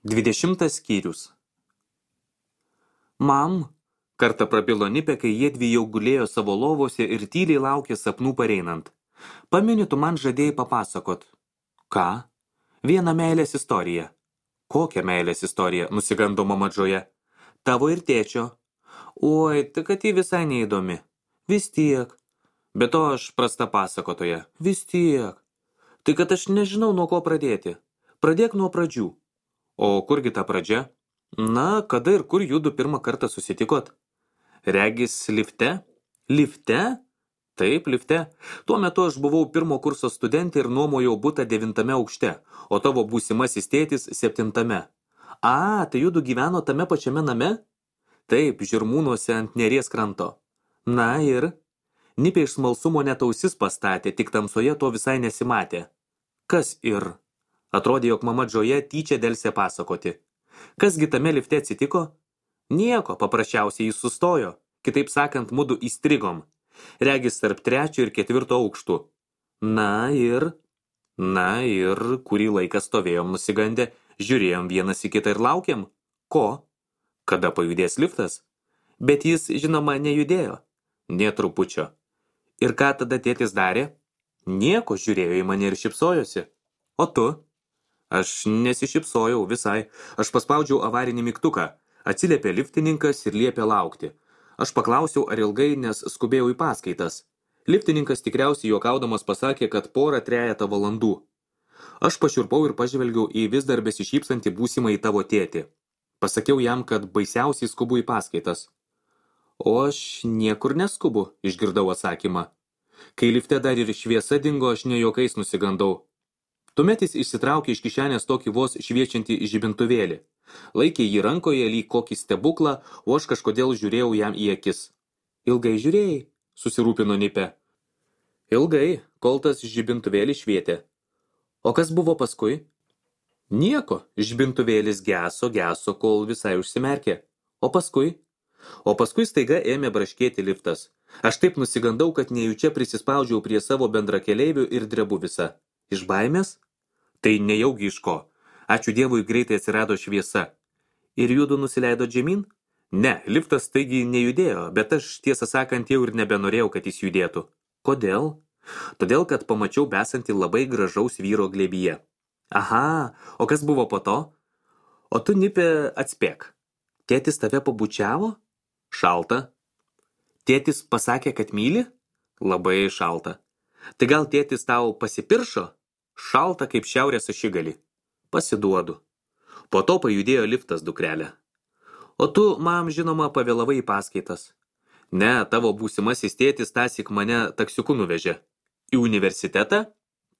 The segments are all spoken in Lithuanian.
20 skyrius. Mam, kartą prabilo Nipė, kai jiedvi jau gulėjo savo lovose ir tyliai laukė sapnų pareinant. Pameni, tu man žadėjai papasakot. Ką? Vieną meilės istoriją. Kokią meilės istoriją? Nusigando mama Džoja. Tavo ir tėčio. Oi, tai kad ji visai neįdomi. Vis tiek. Be to aš prasta pasakotoja. Vis tiek. Tai kad aš nežinau, nuo ko pradėti. Pradėk nuo pradžių. O kurgi ta pradžia? Na, kada ir kur judu pirmą kartą susitikot? Regis lifte? Lifte? Taip, lifte. Tuo metu aš buvau pirmo kurso studentė ir nuomojau butą 9 aukšte, o tavo būsimasis tėtis 7. A, tai judu gyveno tame pačiame name? Taip, Žirmūnuose ant Neries kranto. Na ir? Nipė iš smalsumo net ausis pastatė, tik tamsoje to visai nesimatė. Kas ir? Atrodė, jog mama Džoja tyčia delsė pasakoti. Kasgi tame lifte atsitiko? Nieko, paprasčiausiai jis sustojo. Kitaip sakant, mudu įstrigom. Regis tarp 3 ir 4 aukštų. Na ir, kurį laiką stovėjom nusigandę, žiūrėjom vienas į kitą ir laukiam. Ko? Kada pajudės liftas? Bet jis, žinoma, nejudėjo. Nė trupučio. Ir ką tada tėtis darė? Nieko, žiūrėjo į mane ir šypsojosi. O tu? Aš nesišypsojau visai. Aš paspaudžiau avarinį mygtuką. Atsiliepė liftininkas ir liepė laukti. Aš paklausiau, ar ilgai, nes skubėjau į paskaitas. Liftininkas tikriausiai juokaudamas pasakė, kad 2–3 valandų. Aš pašiurpau ir pažvelgiau į vis dar besišypsantį būsimą į tavo tėtį. Pasakiau jam, kad baisiausiai skubu į paskaitas. O aš niekur neskubu, išgirdau atsakymą. Kai lifte dar ir šviesa dingo, aš ne juokais nusigandau. Tuomet jis išsitraukė iš kišenės tokį vos šviečiantį žibintuvėlį. Laikė jį rankoje lyg kokį stebuklą, o aš kažkodėl žiūrėjau jam į akis. Ilgai žiūrėjai, susirūpino Nipė. Ilgai, kol tas žibintuvėlis švietė. O kas buvo paskui? Nieko, žibintuvėlis geso, kol visai užsimerkė. O paskui? O paskui staiga ėmė braškėti liftas. Aš taip nusigandau, kad nejučia prisispaudžiau prie savo bendrakeleivių ir drebu visą. Iš baimės? Tai nejaugi iš ko. Ačiū Dievui, greitai atsirado šviesa. Ir judu nusileido žemyn? Ne, liftas taigi nejudėjo, bet aš tiesą sakant jau ir nebenorėjau, kad jis judėtų. Kodėl? Todėl, kad pamačiau besantį labai gražaus vyro glėbyje. Aha, o kas buvo po to? O tu, Nipė, atspėk. Tėtis tave pabučiavo? Šalta. Tėtis pasakė, kad myli? Labai šalta. Tai gal tėtis tau pasipiršo? Šalta kaip šiaurės ašigalį. Pasiduodu. Po to pajudėjo liftas, dukrelė. O tu, mam, žinoma, pavėlavai į paskaitas. Ne, tavo būsimasis tėtis tąsyk mane taksiuku nuvežė. Į universitetą?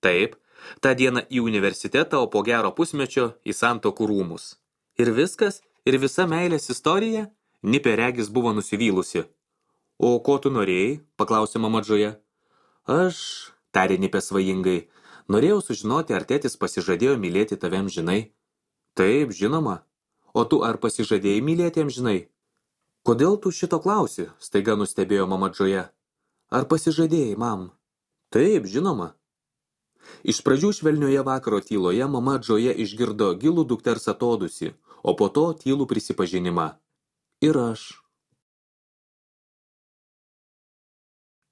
Taip, tą dieną į universitetą, o po gero pusmečio į Santuokų rūmus. Ir viskas? Ir visa meilės istorija? Nipė regis buvo nusivylusi. O ko tu norėjai? Paklausė mama Džoja. Aš, tarė Nipė svajingai, norėjau sužinoti, ar tėtis pasižadėjo mylėti tave amžinai. Taip, žinoma. O tu ar pasižadėjai mylėti amžinai? Kodėl tu šito klausi? Staiga nustebėjo mama Džoja. Ar pasižadėjai, mam? Taip, žinoma. Iš pradžių švelnioje vakaro tyloje mama Džoja išgirdo gilų dukters atodusį, o po to tylų prisipažinimą. Ir aš.